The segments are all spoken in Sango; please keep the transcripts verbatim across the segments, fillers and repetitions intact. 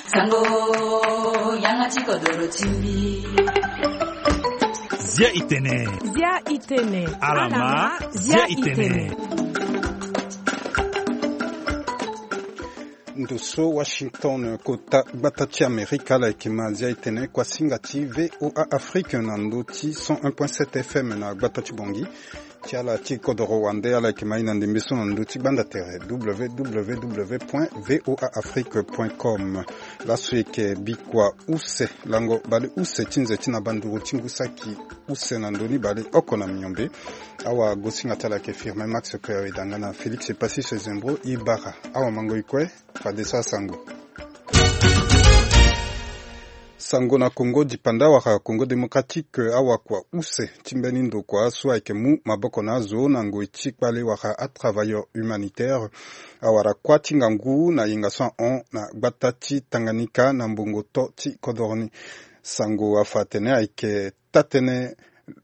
Sango, yanga ti kodoro ti mbi. Zia itene. Zia itene. Alama, zia itene. Ndo so Washington, kota gbata ti Amerika, ala yeke ma Zia itene, kuasinga ti V O A Afrique na ndo ti cent un point sept F M na gbata ti Bongi. Ti ala ti kodoro wande, ala yeke ma e na ndembe so na ndö ti gbanda tere, W W W point V O A Afrique point com. Laso e yeke bikua use, lango baleuse ti nze ti na banduru ti ngu saki use na ndö ni baleoko na miombe. Awagosinga ti ala yeke Firmin Max Coeur, e da nga na Félix Passis Zembro Ibara. Awamango e kue. Fadeso asango. Sango na Congo dipanda wala Congo Démocratique, awakua use ti mbeni ndokua so ayeke mu maboko na azo na ngoi ti kpale wala atravailleur humanitaire, awara kuâ ti ngangu na yenga so ahon na gbata ti Tanganyika na mbongo to ti kodoro ni. Sango afa atene ayeke taa-tënë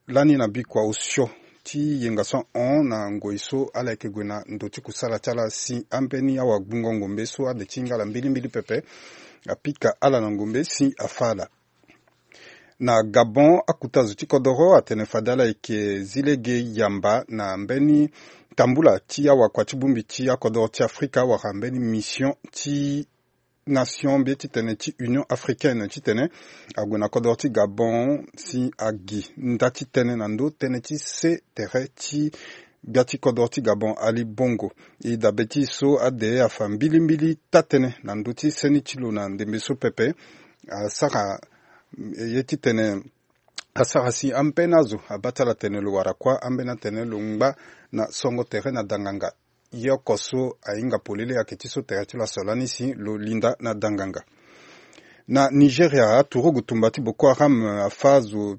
lani na bikua osio ti yenga so ahon na ngoi so ala yeke gue na ndo ti kusala ti ala si ambeni awagbungo ngombe so ade ti hinga ala mbilimbili pepe, apika ala na ngombe si afâ ala. Na Gabon, akuta zo ti kodoro atene fade ala yeke zi lege yamba na mbeni tambula ti awakua ti bongbi ti akodoro ti Afrika wala mbeni mission ti nation mbi ye titene ti Union Africaine titene ague na kodoro ti Gabon si agi nda ti tënë na ndö tënë ti se tere ti gbia ti kodoro ti Gabon Ali Bongo. E dabe ti e so ade afa mbilimbili taa-tënë na ndö ti seni ti lo na ndembe so pepe. Asara ye titene asara si ambeni azo abaa ti ala tene lo wara kuâ, ambeni atene lo ngba na songo tere na danganga. Ye oko so ahinga polele ayeke ti so tere ti lo aso lani si lo linda na danganga. Na Nigeria, aturugu tumba ti Boko Haram, eh, afâ azo,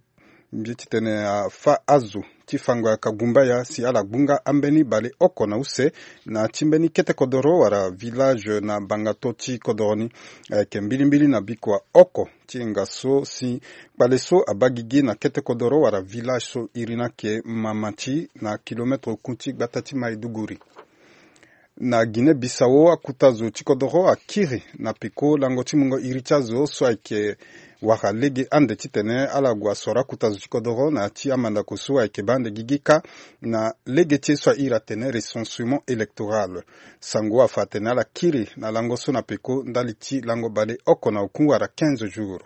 mbi ye titene afâ azo ti fango ya Kagumbaya si ala gbunga ambeni baleoko na use na ti mbeni kete kodoro wala village na bangato ti kodoro ni. Ayeke mbilimbili na bikua oko ti yenga so si kpale so abaa gigi na kete kodoro wala village so iri ni ayeke Mamati na kilometre oku ti gbata ti Maiduguri. Na Guinée Bissau, akuta zo ti kodoro akiri na peko lango ti mungo iri ti azo so ayeke wara lege ande titene ala gue asoro akuta zo ti kodoro na ya ti amandako so ayeke baa ande gigi kâ na lege ti ye so airi atene recensement électoral. Sango afa atene ala kiri na lango so na peko ndali ti lango baleoko na oku wala quinze jours.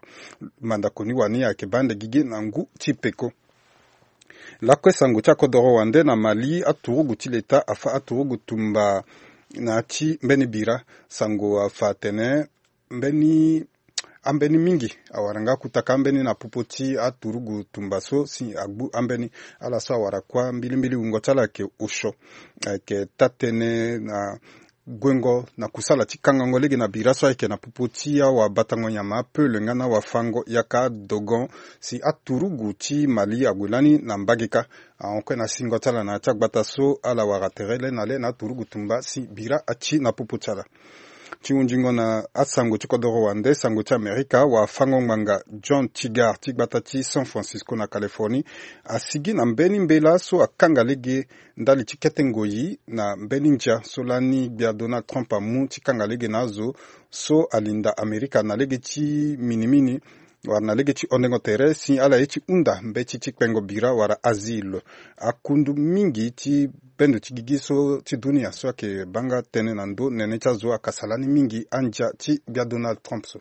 Mandako ni wani ayeke baa ande gigi na ngu ti peko. Lakue sango ti akodoro wande na Mali, aturugu ti leta afâ aturugu tumba na ya ti mbeni bira. Sango afa atene mbeni ambeni mingi awara nga akutaka ambeni na popo ti aturugu tumba so si agbu ambeni. Ala so awara kuâ mbilimbili wungo ti ala ayeke osio, ayeke taa-tënë na guengo na kusala ti kangango lege na bira so ayeke na popo ti awabatango nyama apeule nga na awafango yaka adogon si aturugu ti Mali ague lani na mbage kâ. Ahon kue na singo ti ala na ya ti agbata so ala wara tere le na le na aturugu tumba si bira ati na popo ti ala. Ti hunzingo na asango ti kodoro wande, sango ti Amerika, wafango ngbanga John Tigar ti gbata ti San Francisco na Californie asigi na mbeni mbela so akanga lege ndali ti kete ngoi na mbeni ndia so lani gbia Donald Trump amu ti kanga lege na azo so alinda Amerika na lege ti minimini wala na lege ti hondengo tere si ala ye ti hunda mbeti ti kpengo bira wala asile. Akundu mingi ti bendo ti gigi so ti dunia so ayeke baa nga tënë na ndö nene ti azo akasa lani mingi andia ti gbia Donald Trump so.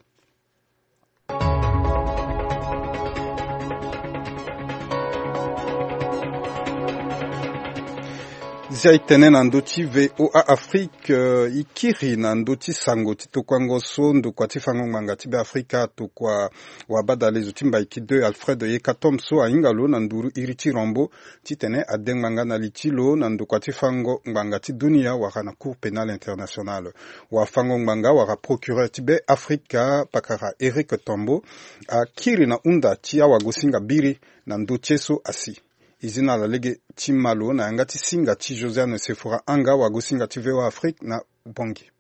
Zia e tene na ndö ti V O A Afrique, eh, e kiri na ndö ti sango ti tokuango so ndokua ti fango ngbanga ti Beafrika atokua wabadale zo ti Mbaiki deux Alfred Yekatom so ahinga lo na nduru iri ti Rambo titene ade ngbanga na li ti lo na ndokua ti fango ngbanga ti dunia wala na Cour pénale internationale. Wafango ngbanga wala procureur ti Beafrika pakara Éric Tambo akiri na hunda ti awagosinga biri na ndö ti ye so asi. E zi na ala lege ti mä lo na yanga ti singa ti Josiane Sefora Anga, wagosinga ti V O A Afrique na Bangui.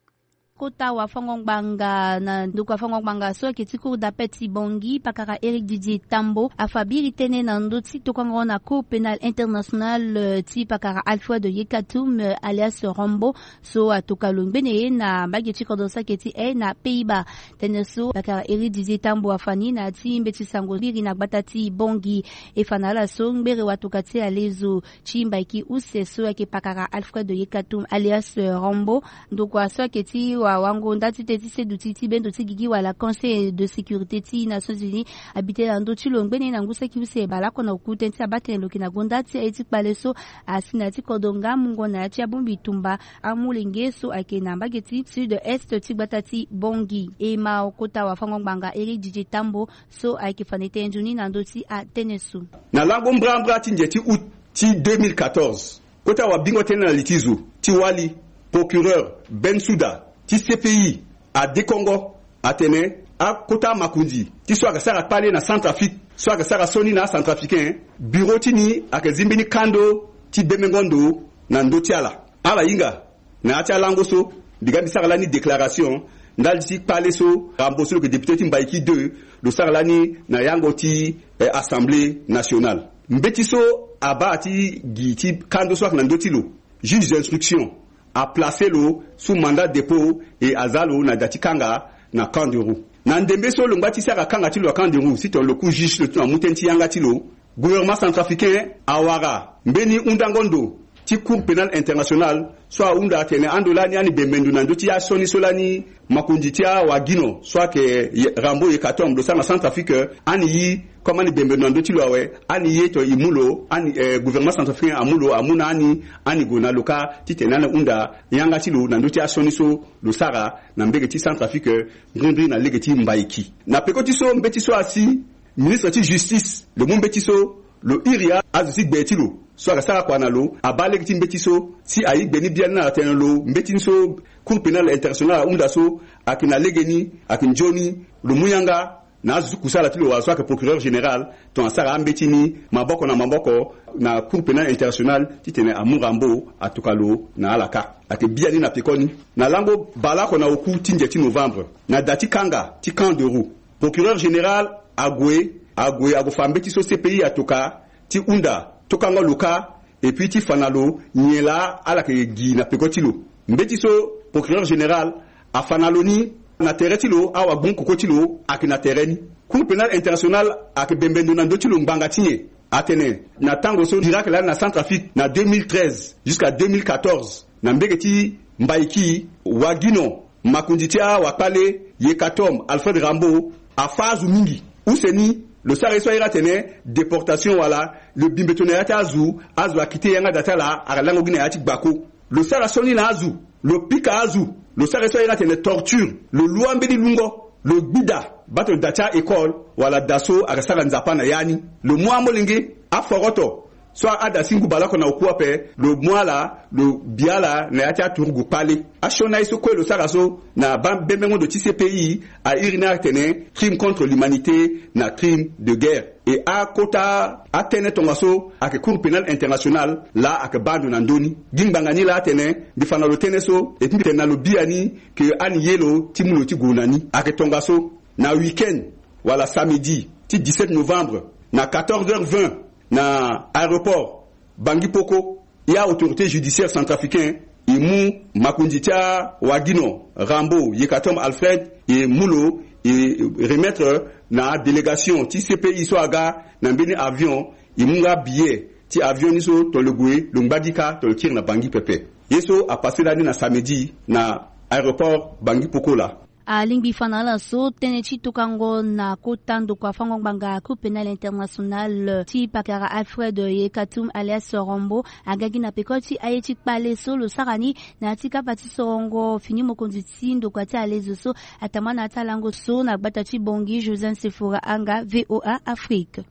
Kota wafango-ngbanga na ndoko wafango-ngbanga so ayeke ti cour d'appel ti Bangui, pakara Éric Didier Tambo afa biri tënë na ndö ti tokango na Cour pénale internationale, eh, ti pakara Alfred Yekatum, eh, alias Rambo, so atoka lo ngbene na mbage ti kodro so ayeke ti e na Pays-Bas. Tënë so pakara Éric Didier Tambo afa ni na ya ti mbeti sango biri na gbata ti Bangui. E fa na ala so ngbere watoka ti alezo ti Mbaiki use so ayeke pakara Alfred Yekatum alias, eh, Rambo, ndokua so ayeke ti wa, wango nda ti tënë ti seduti ti bendo ti gigi wala Conseil de sécurité ti Nations Unies abi tënë na ndö ti lo ngbene na ngu saki use baleoko na oku tënë ti abaa tënë lo yeke na gonda ti aye ti kpale so asi na ya ti kodro nga mungo na ya ti abongbi tumba amolenge so ayeke na mbage ti sud-est ti gbata ti Bangui. E ma kota wafango-ngbanga Éric Didier Tambo so ayeke fa na e tënë nzoni na ndö ti atënë so. Na lango mbrambra ti nze ti août ti deux mille quatorze, kota wabingo tënë na li ti zo ti wali, procureur Bensouda ti C P I adekongo atene akota makonzi ti so ayeke sara kpale na Centrafrique, so ayeke sara sioni na aCentrafricain, bureau ti ni ayeke zi mbeni kando ti bembengo ndo na ndö ti ala. Ala hinga na ya ti alango so, mbi ga mbi sara lani déclaration ndali ti kpale so Rambo so lo yeke député ti Mbaiki deux lo sara lani na yango ti, eh, Assemblée nationale. Mbeti so abaa ti gi ti kando so ayeke na ndö ti lo, juge d'instruction aplace lo sous mandat dépôt et aza lo na da ti kanga na Camp de Roux. Na ndembe so lo ngba ti sara kanga ti lo na Camp de Roux, si tongana lo ku juge ti lo ti lo amu tënë ti yanga ti lo, gouvernement centrafricain awara mbeni hundango ndo ti Cour pénale internationale so ahunda atene ando lani ani bembe ndo na ndö ti asioni so lani makonzi ti awagino so ayeke Ye-, Rambo Yekatom lo sara na Centrafrique, ani ye comme ani bembe ndo na ndö ti lo awe, ani ye tongana e mu lo, ani, eh, gouvernement centrafricain amu lo, amu na ani, ani gue na lo kâ titene ani hunda yanga ti lo na ndö ti asioni so lo sara na mbege ti Centrafrique, ngringri na lege ti Mbaiki. Na peko ti so mbeti so asi, ministre ti justice lo mu mbeti so lo iri azo ti gbe ti lo so ayeke sara kua na lo, abaa lege ti mbeti so si aye gbe ni biani na ala tene lo mbeti ni so Cour pénale internationale ahunda so ayeke na legeni, ayeke nzoni, lo mu yanga na azo ti kusala ti lo wala so ayeke procureur général tongana asara ambeti ni maboko na maboko na Cour pénale internationale titene amu Rambo atoka lo na ala kâ. Ayeke biani na pekoni. Na lango baleoko na oku ti nze ti novembre, na da ti kanga ti Camp de Roux, procureur général ague, ague, ague fa mbeti so C P I atoka ti hunda tokango lo kâ, et puis ti fa na lo nyen laa ala yeke gi na peko ti lo. Mbeti so procureur général afa na lo ni, na tere ti lo, awagbongo koko ti lo ayeke na tere ni. Cour pénale internationale ayeke bembe ndo na ndö ti lo ngbanga ti nyen? Atene na tango so Chirac laa na Centrafrique na deux mille treize jusqu'à deux mille quatorze, na mbege ti Mbaiki, wagino makonzi ti awakpale Yekatom Alfred Rambo afâ azo mingi. Use ni, lo sara ye so a iri atene déportation wala lo bi mbeto na ya ti azo, azo akite yanga da ti ala, alango gi na ya ti gbako. Lo sara sioni na azo, lo pika azo, lo sara ye so a iri atene torture, lo lu ambeni lungo, lo gbida, baa tongana da ti a-école wala da so ayeke sara nzapa na ya ni. Lo mu amolenge, aforoto, so ada si ngu baleoko na oku ape, lo mu ala, lo bi ala na ya ti aturugu kpale. Asioni aye so kue lo sara so na ba-, bembengo ndo ti C P I a iri ni atene crime contre l'humanité na crime de guerre. E akota atënë tongaso ayeke Cour pénale internationale laa ayeke baa ndo na ndö ni. Gi ngbanga ni laa atene mbi fa na lo tënë so, et puis mbi tene na lo biani ke ani ye lo ti mu lo ti gue na ni. Ayeke tongaso na week-end wala samedi ti dix-sept novembre, na quatorze heures vingt, na aéroport Bangui Poko, e a-autorité judiciaire centrafricain e mu makonzi ti awagino Rambo Yekatom Alfred, e mu lo, e remettre na délégation ti C P I so aga na mbeni avion, e mu nga billet ti avion ni so tongana lo gue, lo ngba gi kâ tongana lo kiri na Bangui pepe. Ye so apasse lani na samedi na aéroport Bangui Poko laa. Alingbi fa na ala so tënë ti tokango na kota ndokua fango ngbanga Cour pénale internationale ti pakara Alfred Yekatum alias Rambo aga gi na peko ti aye ti kpale so lo sara ni na ya ti kapa ti sorongo fini mokonzi ti ndokua ti alezo so atama na ya ti alango so na gbata ti Bangui. Joseph Sefora Anga, V O A Afrique.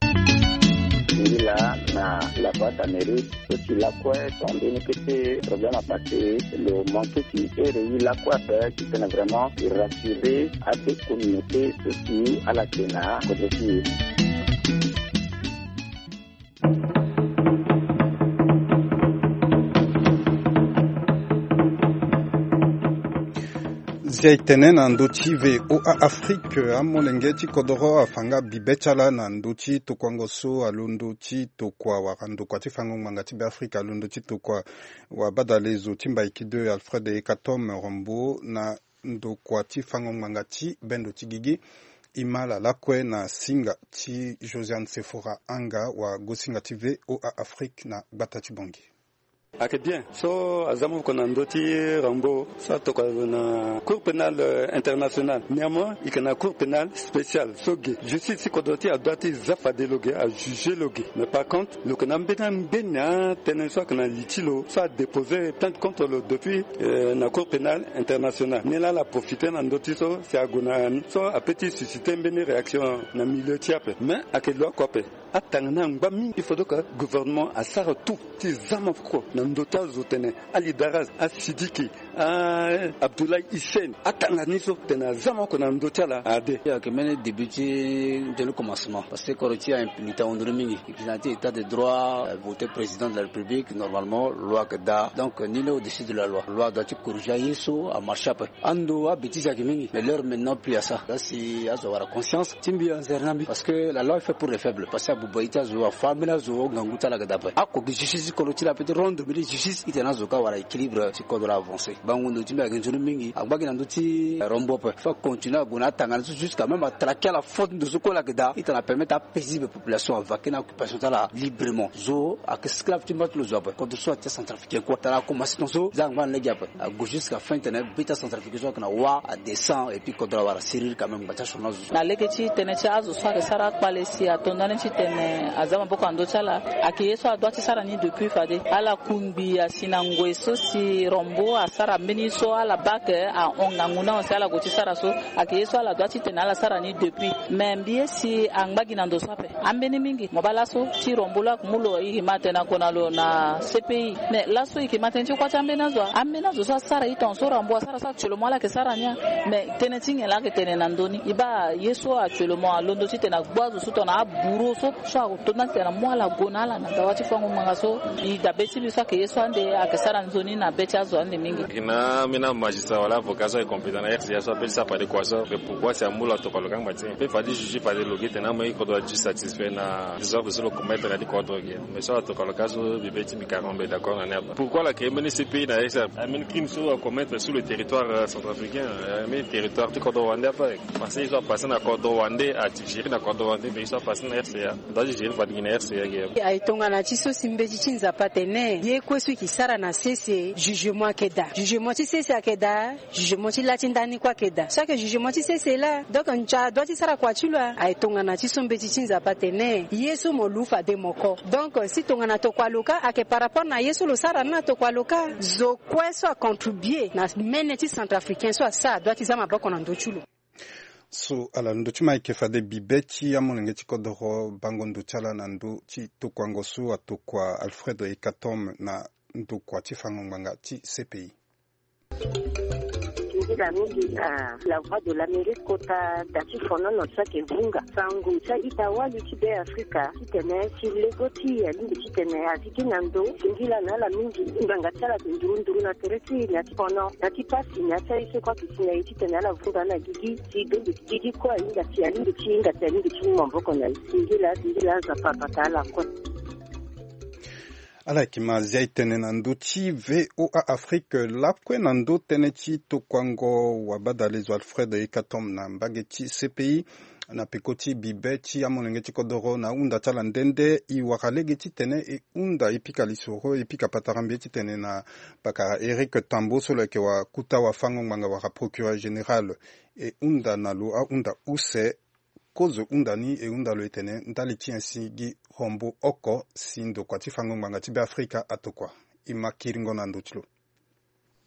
Ngi laa na la Voix d'Amérique. So ti lakue, so ambeni kete problème apasse, lo manke ti ere ye lakue ape, titene vraiment e rassurer ade communauté so ti ala yeke na kodro ti e. Zia e tene na ndö ti V O A Afrique, amolenge ti kodoro afa nga bibe ti ala na ndö ti tokuango so alondo ti tokua wala ndokua ti fango ngbanga ti Beafrika alondo ti tokua wabadale zo ti Mbaiki deux Alfred Ekatom Rombo na ndokua ti fango ngbanga ti bendo ti gigi. E ma ala lakue na singa ti Josiane Sephora Anga, wagosinga ti V O A Afrique na gbata ti Bangui. Ayeke bien so aza moko na ndö ti Rambo so atokua lo na Cour pénale, euh, internationale. Néanmoins, e yeke na Cour pénale spéciale so ge. Justice ti kodro ti e adoit ti za fade lo ge, ajuge lo ge. Mais par contre, lo yeke na ambeni ambeni atënë so ayeke na li ti lo so adépose plainte contre lo depuis, euh, na Cour pénale internationale. Ni laa ala profite na ndö ti so si ague na ni so apeut ti susciter mbeni réaction na milieu ti e ape. Mais ayeke lo oko ape. Atanga ni angba mingi. Il faudrait que gouvernement asara tout ti za maboko na ndö ti azo tene Ali Daraz, Asidiki, a Abdoulaye Hissène, atanga ni so tene aza maboko na ndö ti ala ade. Ayeke mbeni début ti nzoni commencement parce que kodro ti e a impunité ahon ndoni mingi. E yeke na ya ti état de droit, euh, voté président de la République, normalement loi ayeke daa. Donc nul n'est au-dessus de la loi. Loi adoit ti corriger aye so amarché ape. Ando abêtise ayeke mingi, mais l'heure maintenant plus à ça. Là si azo awara conscience ti mbi anzere na mbi parce que la loi est faite pour les faibles. Parce que abuba ye ti azo, afa ambeni azo, ngangu ti ala ayeke daa ape. Ako gi justice ti kodro ti la peut rendre mbeni justice, itene azo ka awara équilibre ti kodro la avancé. Bango ndo ti mbi ayeke nzoni mingi, angba gi na ndö ti Rombo ape. Faut acontinuer ague na atanga ni so jusqu'à même atraquer ala faute ndo so kue la ayeke daa, itene apermettre apaisible population avaquer na occupation ti ala librement. Zo ayeke esclave ti mba ti lo zo ape. Kodro so atia Centrafricain kue tara akomanse tongaso za angba na lege ape. Ague jusqu'à fin tene be ti aCentrafricain so ayeke na wa adescend et puis kodro awara serrure quand même, ngba ti asioni azo so. Na lege ti tënë ti azo so ayeke sara akpale si ato ndani ti tene aza maboko na ndö ti ala, ayeke ye so adoit ti sara ni depuis fade. Ala kungbi asi na ngoi so si Rombo asara mbeni so ala baa ayeke ahon ngangu ni ahon si ala gue ti sara so. Ayeke ye so ala doit ti tene ala sara ni depuis. Mais mbi ye si angba gi na ndo so ape. Ambeni mingi mo baa laso ti Rombo lo ayeke mu lo, e yeke ma tene ague na lo na C P I. Mais laso e yeke ma tene ti kuâ ti ambeni azo. Ambeni azo so asara e tongaso Rombo asara so actuellement ala yeke sara ni a. Mais tënë ti nyen la ayeke tene na ndö ni? E baa ye so actuellement alondo titene agbu azo so tongana abourreau so, so ato ndani titene amu ala ague na ala na dawa ti fango ngbanga so. E dabe ti mbi so ayeke ye so ande ayeke sara nzoni na be ti azo ande mingi. E yeke na ambeni amagistrat wala avocat so ayeke compétent na R C A so apeut ti sara fade kua so. Pourquoi si amu lo atokua lo kangba ti e? Mpe fade juge fade lo gi tene amu e kodro adu satisfait na désordre so lo commettre na ya ti kodro gi. Mais so atokua lo ka so mbi be ti mbi carrément mbi d'accord na ni ape. Pourquoi la créer mbeni C P I na R C A? Ambeni crime so acommettre sur le territoire, euh, centrafricain, euh, ambeni territoire ti kodro rwandais ape. Parce que ye so apassé na kodro rwandais, ati gérer na kodro rwandais, mais ye so apassé na R C A, ndo ati gérer fade gi na R C A gi. Aye tongana ti so si mbeti ti Nzapa atene ye kue so e ke sara na sese, jugement ayeke daa. Jugement ti sese ayeke daa. Jugement ti la ti ndani kue ayeke daa. So ayeke jugement ti sese laa. Donc ndia adoit ti sara kua ti lo a? Aye tongana ti so mbeti ti Nzapa atene ye so mo lu fade mo ko. Donc si tongana tokua lo ka ayeke par rapport na ye so lo sara ni na tokua lo ka. Zo kue so acontribue na mene ti centrafricain so asara adoit ti za maboko na ndö ti lo. So ala ndö ti ma ayeke fade bibe ti amolenge ti kodoro bango ndo ti ala na ndö ti tokuango so atokua Alfred Ekatom na ndokua ti fango ngbanga ti C P I. Singila mingi na La Voix de l'Amérique kota da ti fonono so ayeke vunga sango ti a-ita wali ti Be Afrika titene si lego ti e alingbi titene a sigi na ndo. Singila na ala mingi. Ngbanga ti ala ayeke nduru nduru na tere ti e na ya ti fono na ya ti pasi na ya ti aye so kue ayeke si na e titene ala vunga na gigi si bendo ti gigi kue ahinga si alingbi ti hinga si alingbi ti mu maboko na e. Singila singila Nzapa abata ala kue. Ala yeke ma zia e tene na ndö ti V O A Afrique lakue na ndö tënë ti tokuango wabadale zo Alfred Ekatom na mbage ti C P I. Na peko ti bibe ti amolenge ti kodoro na ahunda ti ala nde nde e wara lege titene e hunda e pika lisoro e pika patara mbi titene na pakara Eric Tambo so lo yeke wa kuta wafango ngbanga wala procureur général. E hunda na lo ahunda use. Kozo hunda ni e hunda lo e tene ndali ti nyen si gi hombo oko si ndokua ti fango ngbanga ti Be Afrika atokua. E ma kiringo na ndö ti lo.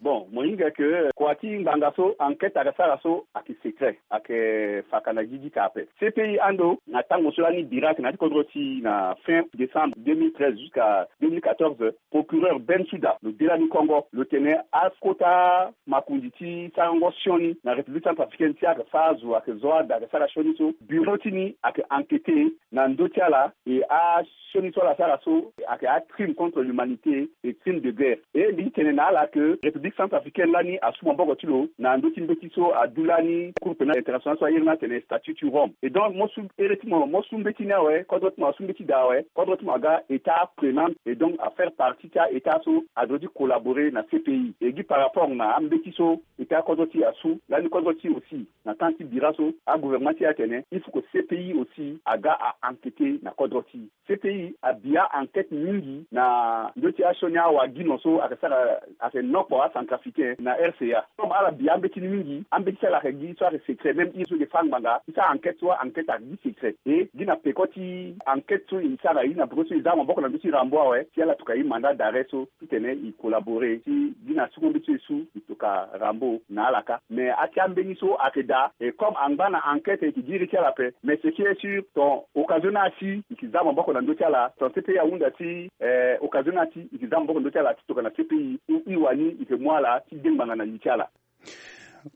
Bon, mo hinga ke kua ti ngbanga so enquête ayeke sara so ayeke secret, ayeke faka na gigi ka ape. C P I ando na tango so lani bira ayeke na ya ti kodro ti e na fin décembre deux mille treize jusqu'à deux mille quatorze, procureur Bensouda lo de lani kongo lo tene akota makonzi ti sarango sioni na République centrafricaine ti ayeke fâ azo ayeke zo ada ayeke sara sioni so bureau ti ni ayeke enquêté na ndö ti ala. E asioni so ala sara so ayeke acrime contre l'humanité et crime de guerre. E mbi ti tene na ala ke République Centrafricaine lani asu maboko ti lo na ndö ti mbeti so adu lani Cour pénale internationale so airi ni atene statut ti Rome. Et donc mo su ere ti mo, mo su mbeti ni awe, kodro ti mo asu mbeti daa awe, kodro ti mo aga état prenante, et donc afaire partie ti a-état so adro ti collaborer na C P I. Et gi par rapport na ambeti so état kodro ti asu lani, kodro ti aussi na temps ti bira so agouvernement ti e atene il faut que C P I aussi aga a enquêter na kodro ti e. C P I abi a-enquête mingi na ndö ti asioni awagino so ayeke sara, ayeke nokpo acentrafricain na R C A. Comme ala bi ambeti ni mingi, ambeti ti ala ayeke gi so ayeke secret, même i so e fa ngbanga i sara enquête so a-enquête ayeke gi secret. E gi na peko ti enquête so e sara, e gi na peko so e za maboko na ndö ti Rambo awe si ala tokua e mandat d'arrêt so titene e collaborer si gi na suku mbeti so e su e tokua Rambo na ala kâ. Mais ati ambeni so ayeke daa, e comme angba na enquête e yeke gi iri ti ala ape. Mais ce qui est sûr, ton occasion ni asi e yeke za maboko na ndö ti ala, ton C P I ahunda si eh, occasion ni asi e yeke za maboko na ndö ti ala ti tokua na C P I. Ou i wani e yeke mu ala ti de ngbanga na li ti ala.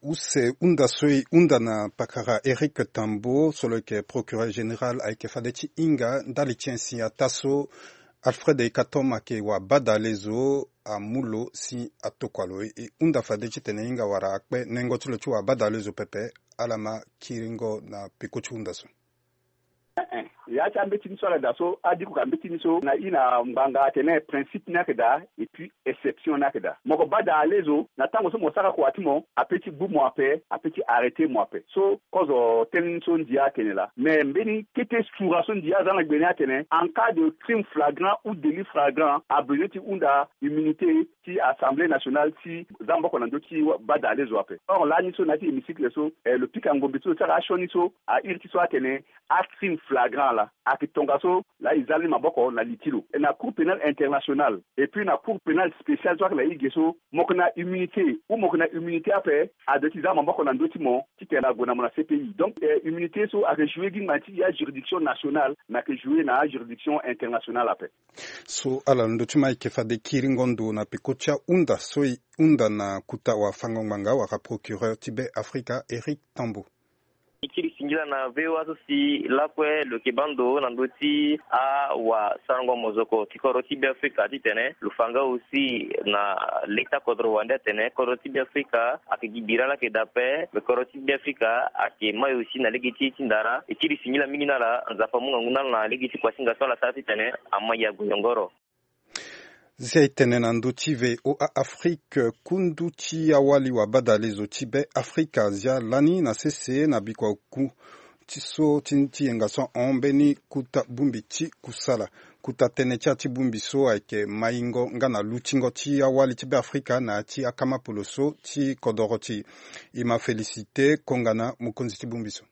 Use hunda so e hunda na pakara Éric Tambo so lo yeke procureur général ayeke fade ti hinga ndali ti nyen si ataa so Alfred Ekatom ayeke wabadalezo amu lo si atokua lo. E hunda fade titene e hinga wala akpe nengo ti lo ti wabadalezo pepe. Ala ma kiringo na peko ti hunda so. Eh, eh. Ya ti ambeti ni so ala daa so, adiko ka mbeti ni so na i na ngbanga atene principe ni ayeke daa et puis exception ni ayeke daa. Mo yeke bada alezo na tango so mo sara kua ti mo, ape ti gbu mo ape, ape ti arrêter mo ape. So kozo tënë ni so ndia atene laa. Mais mbeni kete sura so ndia aza na gbe ni atene, en cas de crime flagrant ou délit flagrant, abesoin ti hunda immunité ti Assemblée nationale ti za maboko na ndö ti bada alezo ape. Or lani so na ya ti hémicycle so, eh, lo pika ngombe ti lo ti ala asioni so a iri ti so atene, a crime flagrant laa ayeke tongaso laa e za ni maboko na li ti lo na Cour pénale internationale et puis na Cour pénale spéciale so ayeke na e ge so. Mo yeke na immunité ou mo yeke na immunité ape, adoit ti za maboko na ndö ti mo titene ague na mo na C P I. Donc eh, immunité so ayeke jouer gi ngba ti ya juridiction nationale, mais ayeke jouer na juridiction internationale ape. So ala na ndö ti ma e yeke fade kiringo ndo na peko ti ahunda so e hunda na kuta wafango-ngbanga wala procureur ti Be Afrika, Éric Tambo. E kiri singila na V O A so si lakue lo yeke baa ndo na ndö ti awasarango mozoko ti kodro ti Be Afrika titene lo fa nga aussi na leta kodro wande atene kodro ti Be Afrika ayeke gi bira laa ayeke daa ape, me kodro ti Be Afrika ayeke mai aussi na lege ti e ti ndara. E kiri singila mingi na ala, Nzapa amu ngangu na ala na lege ti kuasinga so ala sara titene amai ague yongoro. Zia e tene na ndö ti V O A Afrique, kundu ti awali wabadalezo ti Be Afrika azia lani na sese na bikua oku ti so ti, ti yenga so ahon mbeni kuta bongbi ti kusala. Kuta tënë ti ya ti bongbi so ayeke maingo nga na lutingo ti awali ti Be Afrika na ya ti akamapolo so ti kodoro ti e. E ma Félicité Kongana, mokonzi ti bongbi so.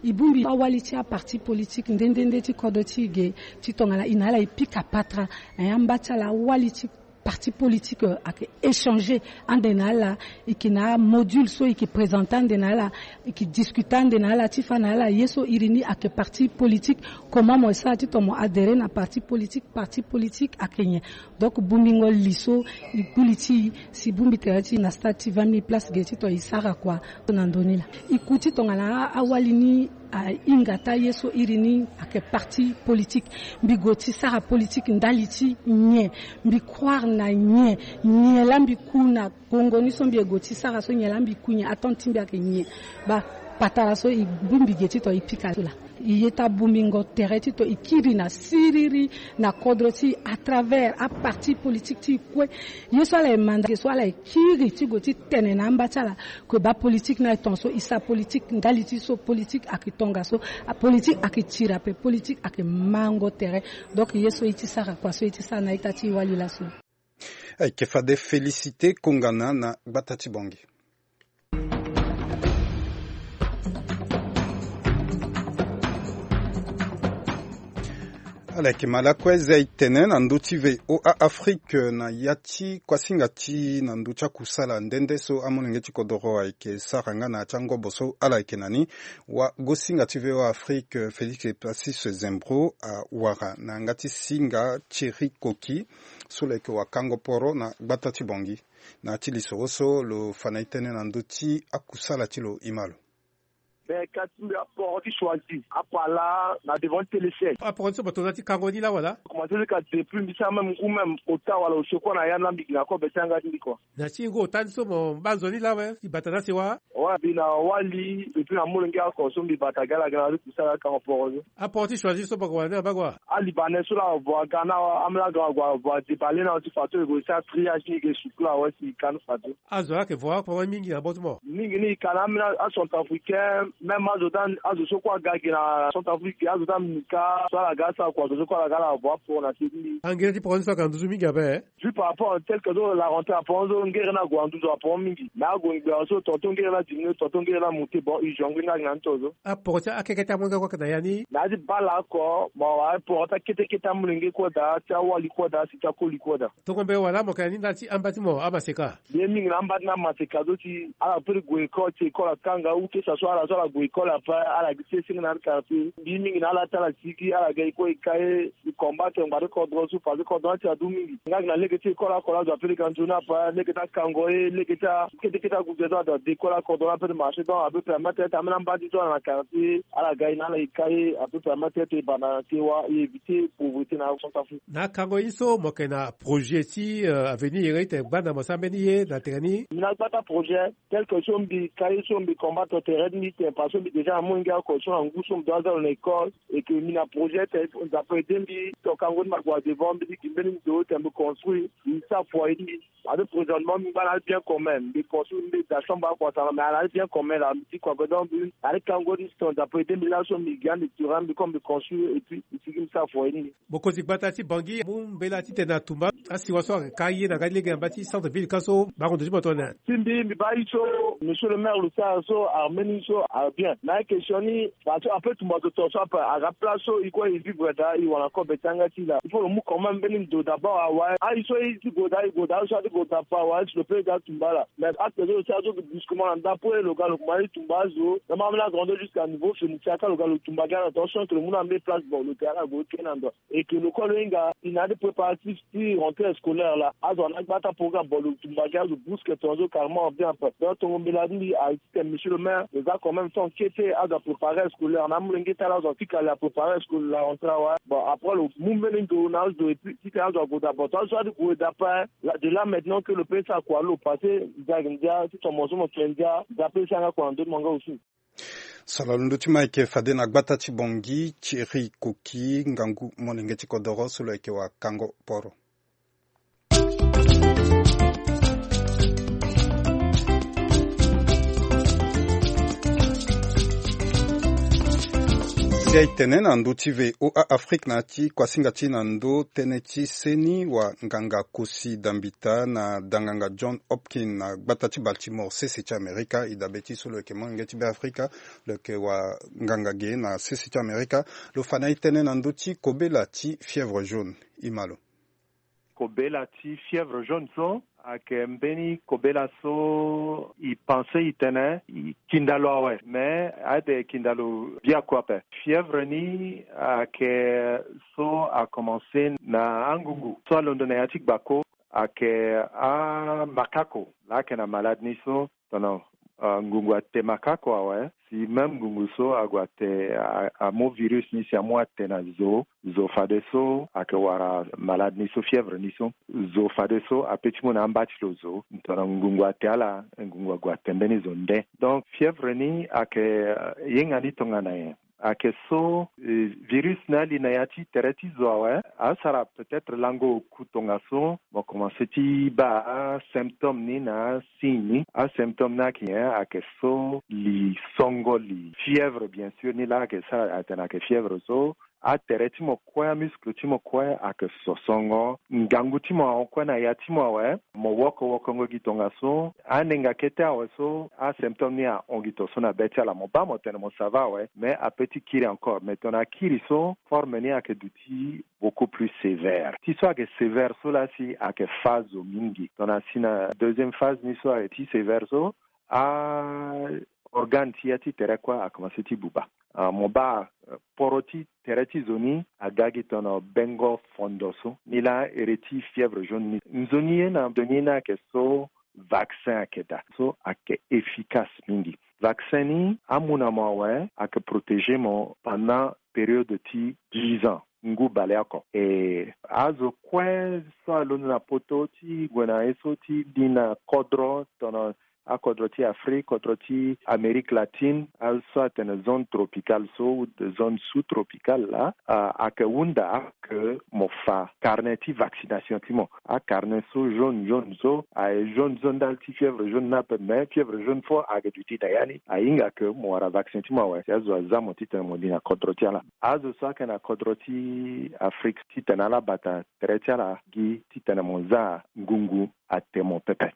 E bongbi awali ti aparti politique nde nde nde ti kodro ti e ge, ti tongana e na ala e pika patara na ya mba ti ala awali ti parti politique, euh, ayeke échanger ande na ala, e yeke na amodule so e yeke présenter ande na ala, e yeke discuter ande na ala ti fa na ala ye so iri ni ayeke parti politique, comment mo sara ti tongana mo adhérer na parti politique, parti politique ayeke nyen. Donc bongbingo li so e kpuli ti e si bongbi tere ti e na stade ti vingt mille places ge ti tongana e sara kua na ndö ni laa. E ku ti tongana awali ni ahinga ti aye so iri ni ayeke parti politique. Mbi gue ti sara politique ndali ti nyen? Mbi croire na nyen? Nyen laa mbi ku na gongo ni so mbi gue ti sara so, nyen laa mbi ku nyen? Attente ti mbi ayeke nyen? Baa patara so e bongbi ge ti tongana e pika so laa. E ye ti abongbingo tere ti tongana e kiri na siriri na kodro ti e à travers aparti politique ti e kue. Ye so ala ye manda ge so ala ye kiri ti gue ti tene na amba ti ala, que baa politique ni aye tongaso, e sara politique ndali ti so, politique ayeke tongaso, apolitique ayeke tiri ape, politique ayeke mango tere. Donc ye so e ti sara kua so e ti sara na ita ti e wali laso. Ayeke fade Félicité Kongana na gbata ti Bangui. Ala yeke ma lakue zia e tene na ndö ti V O A Afrique na ya ti kuasinga ti na ndö ti akusala nde nde so amolenge ti kodoro ayeke sara nga na ya ti angobo so ala yeke na ni. Wagosinga ti V O A Afrique Félix Epassis Zembro awara na yanga ti singa Thierry Koki so lo yeke wakango poro na gbata ti Bangui. Na ya ti lisoro so lo fa na e tënë na ndö ti akusala ti lo, e ma lo. Ben, ka ti mbi aporo ti choisi apala na devant ti téléchaîne. Aporo ti so mo tongana ti kango ni laa wala? Commencé ti ka depuis mbi sara même ngu même ota wala osio kue na ya ni laa mbi gi na kobe ti yanga ti mbi kua. Na ti ngu ota ni so mo baa nzoni laa awe ti bata na sewa? Ouais, mbi na wali depuis na molenge oko so mbi bata gi ala gi na ala ti kusala akango poro ni. Aporo ti choisi so mo ko wara ni abaa kua? Alibanais so laa avo aga na ambeni aga ague avo adebale na ti fadeso e ko sara triage ni e ke sukula awe si e ka ni fadeso. Azo laa ayeke vo aporo mingi na bot mo? Mingi ni e ka na ambeni acentrafricain, même azo ti azo so kue aga gi na centrafrique azo ti amika so ala ga asara kua azo so kue ala ga ala avo aporo na se ti mbi. Angere ti poro ni so ayeke na nduzu mingi ape? Juste par rapport tel que so la rentrée aporo so ngere ni ague na nduzu aporo mingi mais ague ngbera so tonton ngere ni adiminué tonton ngere ni amonté bon urgent ngu ni ayeke na ni to so. Aporo ti akeke ti amonge kue ayeke na ya ni? Na ya ti bala oko mo wara poro ti akete kete amolenge kue daa ti awali kue daa si ti akoli kue daa. Tongo mbe wala mo yeke na ni ndali ti amba ti mo amaseka? Ye mingi na amba ti na amaseka so ti ala peut ti gue école ti école akanga ou que ça soit ala so ala gue école ape ala gi sesenge na ala quartier mbi mingi na ala ti ala sigi ala ga e kue e ka ye. E combat tene ngbanga ti kodro so parce que kodro ni ti adu mingi nga gi na lege ti école oko laa azo ape lege anzoni ape lege ti akango ye lege ti akete kete agude so azo ade école akodro ni ape ti marché donc ape permettre ti ambeni amba ti so ala na quartier ala ga e na ala e ka ye ape permettre ti e banda na sewa e éviter pauvreté na centrafrique. Na akango ye so mo yeke na projet ti avenir iri tene gbanda mo sara mbeni ye na tere ni? Mbi na gbata projet tel que so mbi ka ye so mbi combat to tere ti mbi tene parce que mbi déjà na molenge oko so na ngu so mbi doit aza lo na école. Et que mbi na projet tene nzapa ede mbi to kango ti mbi ague na devant mbi ti gi mbeni ndo tene mbi construire mbi sara foyer ti mbi. Ade présentement mbi ngba na ade bien commun mbi construire mbi da chambre akua tara mais ala ade bien commun la mbi ti kua godon mbi ade kango ti mbi tene nzapa ede mbi laso mbi gi ande tura mbi comme mbi construire et puis mbi sigi mbi sara foyer ti mbi. Mokonzi gbata ti bangi amu mbela titene atumba asiwa so ayeke ka ye na nga ti lege na mba ti centre ville ka so bango ndo ti mo tongana nyen? Ti mbi mbi baa ye so monsieur le maire lo sara so armeni so abien na ye question ni. Parce que ape tumba zo to so ape aga place so e kue e vivre daa e wara na kobe ti yanga ti e laa il faut lo mu quand même mbeni ndo d'abord awe aye so e ti gue daa e gue daa aye so ati gue daa ape awe si lo pe daa tumba laa mais acte so lo sara so brusquement na ndapo e lo ga lo kuma ti tumba azo na ma ambeni agrandeur jusqu'à niveau fenitia ka lo ga lo tumba gi ala na tonga so ke lo mu na mbeni place bon lo ke ala gue kena ndo. Et que lo kue lo hinga e na ade préparatif ti rentrée scolaire laa azo ana gba ti aprogramme bon lo tumba gi azo brusque tonga so carrément bien ape donc tongo mbela ti mbi aye titene monsieur le maire lo za quand même temps kete azo apréparer scolaire na amolenge ti ala azo afika le apréparer scolaire la rentrée awe bon après lo mu mbeni ndo na azo et puis titene azo ague daa bon tonga so ade gue daa ape. De là maintenant que lo pe sara kua lo passé ndia ayeke ndia ti tomo so mo tene ndia ndia pe e sara nga kua na ndö ti mo nga aussi. Sara londo ti mo ayeke fade na gbata ti bongi thierry koki ngangu molenge ti kodoro so lo yeke wa kango poro. Si aye tene na ndö ti voa afrique na ya ti kuasinga ti na ndö tënë ti seni wa nganga kosi dambita na danganga john hopkins na gbata ti baltimore sese ti amerika e dabe ti so lo yeke molenge ti beafrika. Lo yeke wa nganga ge na sese ti amerika. Lo fa na e tënë na ndö ti kobela ti fièvre jaune. E ma lo. Kobela ti fièvre jaune so ayeke mbeni kobela so e pense e tene e kinda lo awe mais ade kinda lo biaku ape. Fièvre ni ayeke so akomanse na angungu so alondo na ya ti gbako. Ayeke amakako laa ayeke na malade ni so tongana ngungu ate makako awe si même ngungu so ague ate amu virus ni si amu ate na zo. Zo fadeso ayeke wara malade ni so fièvre ni so zo fadeso ape ti mu na amba ti lo zo tongana ngungu ate ala ngungu ague ate mbeni zo nde. Donc fièvre ni ayeke yenga ni tongana nyen? Ayeke so virus ni ali na ya ti tere ti zo awe asara peut-être lango oku tongaso mo komanse ti baa asymptôme ni na asigne ni. Asymptôme ni ayeke nyen? Ayeke so li songo li fièvre bien sûr ni laa ayeke sara atene ayeke fièvre so atere ti mo kue amuscle ti mo kue ayeke sosongo ngangu ti mo ahon kue na ya ti mo awe. Mo woko wokongo gi tongaso anenga kete awe so asymptôme ni ahon gi tongaso na be ti ala mo baa mo tene mo sava awe mais ape ti kiri encore mais tongana akiri so forme ni ayeke duti beaucoup plus sévère ti so ayeke sévère so laa si ayeke fa zo mingi tongana si na deuxième phase ni so ayeke ti sévère so a organe ti ya ti tere kue akomanse ti buba. Mo baa poro ti tere ti zo ni aga gi tongana bengo fondo so ni laa ere ti fièvre jaune ni nzoni ye na nzoni ye ni ayeke so vaccin ayeke daa so ayeke efficace mingi. Vaccin ni amu na mo awe, ayeke protéger mo pendant période ti dix ans, ngu baleoko. E azo kue so alondo na poto ti gue na ye so ti li na kodro, tongana akodro ti Afrique, kodro ti Amérique latine, azo so atene zone tropicale so ou zone sous-tropicale laa, ayeke hunda ake mo fa carnet ti vaccination ti mo. Acarnet so jaune jaune so, aye jaune so ndali ti fièvre jaune ni ape, mais fièvre jaune fo ayeke duti na ya ni. Ahinga ke mo wara vaccin ti mo awe si azo aza mo titene mo li na kodro ti ala. Azo so ayeke na kodro ti Afrique, titene ala bata tere ti ala gi titene mo za ngungu ate mo pepe.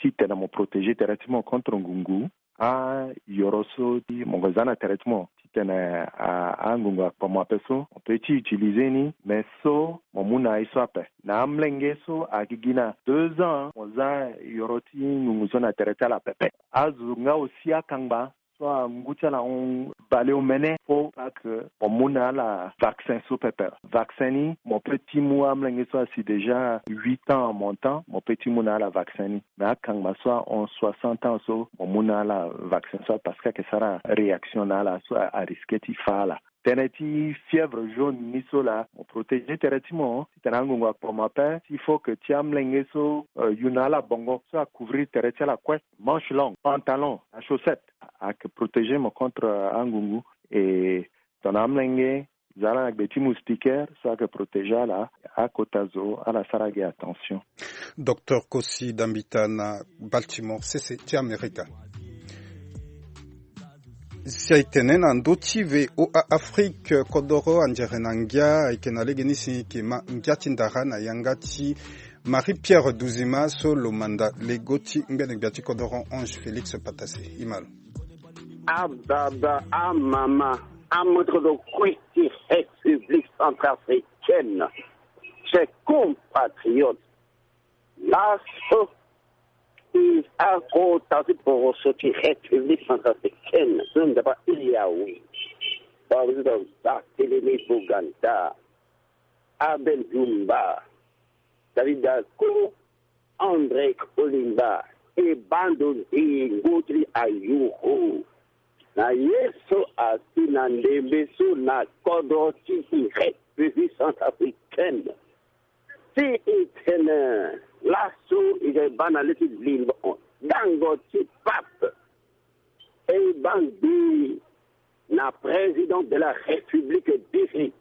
Titene mo protéger tere ti mo contre ngungu, ayoro so ti mo yeke za na tere ti mo titene a- angungu akpo mo ape so, mo peut ti utiliser ni, mais so mo mu na ye so ape. Na amolenge so agigi na deux ans, mo za yoro ti ngungu so na tere ti ala pepe. Azo nga aussi akangba so angu ti ala hon baleomene, faut pas que mo mu na ala vaccin so pepe. Vaccin ni, mo peut ti mu amolenge so asi déjà huit ans en montant, mo peut ti mu na ala vaccin ni. Mais akangba so ahon soixante ans so, mo mu na ala vaccin so, parce que ayeke sara réaction na ala so a- arisque ti fa ala. Tënë ti fièvre jaune ni so laa, mo protéger tere ti mo titene angungu akpo mo ape. Il faut que ti amolenge so, euh, yu na ala bongo so acouvrir tere ti ala kue, manche longue, pantalon, achaussette, ayeke protéger mo contre, euh, angungu. E tongana amolenge, za ala na gbe ti moustiquaire so ayeke protéger ala. Akota zo ala sara gi attention. Docteur Kosi Dambita na Baltimore, sese ti Amerika. Si aye tene na ndö ti V O A Afrique, kodoro anzere na ngia ayeke na legeni si e yeke ma ngia ti ndara na yanga ti Marie Pierre Duzima so lo manda lego ti ngbene gbia ti kodoro Ange Félix Patassé. E ma lo. Ababa, amama, amoto kue ti République centrafricaine, chers compatriotes, laso e akota ti poroso ti République centrafricaine so nzapa iri awe. Président Barthélemy Boganda, Abel Djoumba, David Dacko, André Kolimba, e bando nzingo ti ayuru na ye so asi na ndembe so na kodro ti République centrafricaine. Si e tene laso e yeke baa na le ti limbo dango ti pape, e baa ngbii na président de la République diri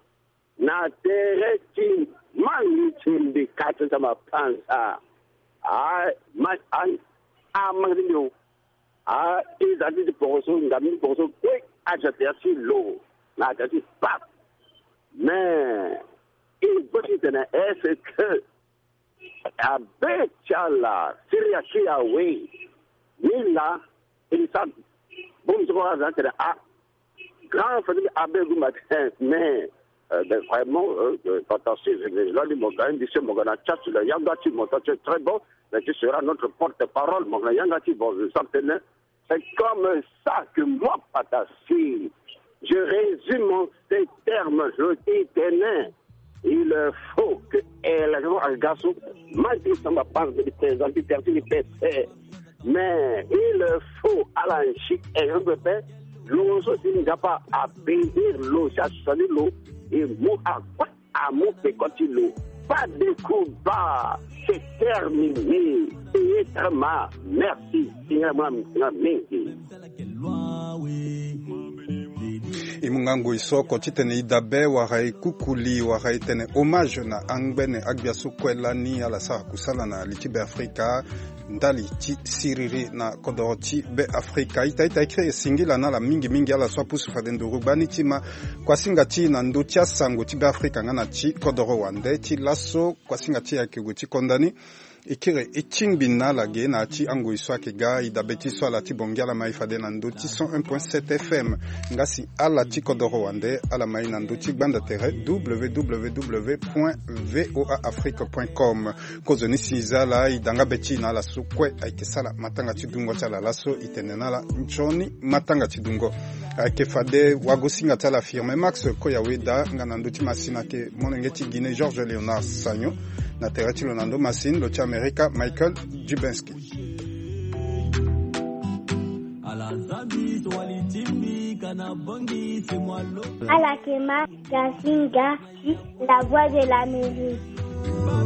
na tere ti mangi ti mbi kati ti mapanza. A ma a a mangi ti mbi o. A e za ti ti poroso, ngam ti poroso kue aza tere ti lo na tere ti pape. Mais e gbo ti tene est-ce que abe ti ala siri ya ti awe ni laa? E sara bongbi ti kua aza tene a grand famille abe gumba tene mais euh, ben, vraiment euh, euh, pata si je vais là mo ga indi se mo ga na chat la yanga ti mo ta c'est très bon, mais tu seras notre porte-parole mo ga na yanga ti bon je sens tene. C'est comme ça que moi, Patassé, je résume en ces termes, je dis, tenez, il faut que eh, la joie à garçon, ma dit ça m'a pas de présenter tertiaire, mais il faut à la chute et je me fais, l'on se dit, n'a pas à payer l'eau, ça se dit l'eau, et moi à quoi amu peko ti lo. Pas de combat, c'est terminé. Payé très mal. Merci. Seigneur, moi, moi, mingi. E mu nga ngoi so oko titene e dabe wala e kukuli wala e tene hommage na angbene agbia so kue lani ala sara kusala na li ti Beafrika ndali ti siriri na kodoro ti Beafrika. Ita ita e kiri singila na ala mingi mingi ala so apusu fade nduru gbani ti ma kuasinga ti na ndö ti asango ti Beafrika nga na ti kodoro wande ti laso kuasinga ti ayeke gue ti konda ni. E kiri e tingbi na ala ge na ya ti angoi so ayeke ga e dabe ti so ala ti bongi ala ma e fade na ndö ti cent un point sept F M. Nga si ala ti kodoro wande ala ma e na ndö ti gbanda tere W W W point V O A Afrique point com. Kozoni si za ala e da nga be ti e na ala so kue ayeke sara matanga ti dungo ti ala laso e tene na ala nzoni matanga ti dungo. Ayeke fade wagosinga ti ala Firme Max Koyaweda nga na ndö ti masina ayeke molenge ti Guinée Georges Léonard Sagno. Na tere ti lo na ndö masina lo ti Amerika Michael Dubensky. Alakema Gasinga, la voix de l'Amérique.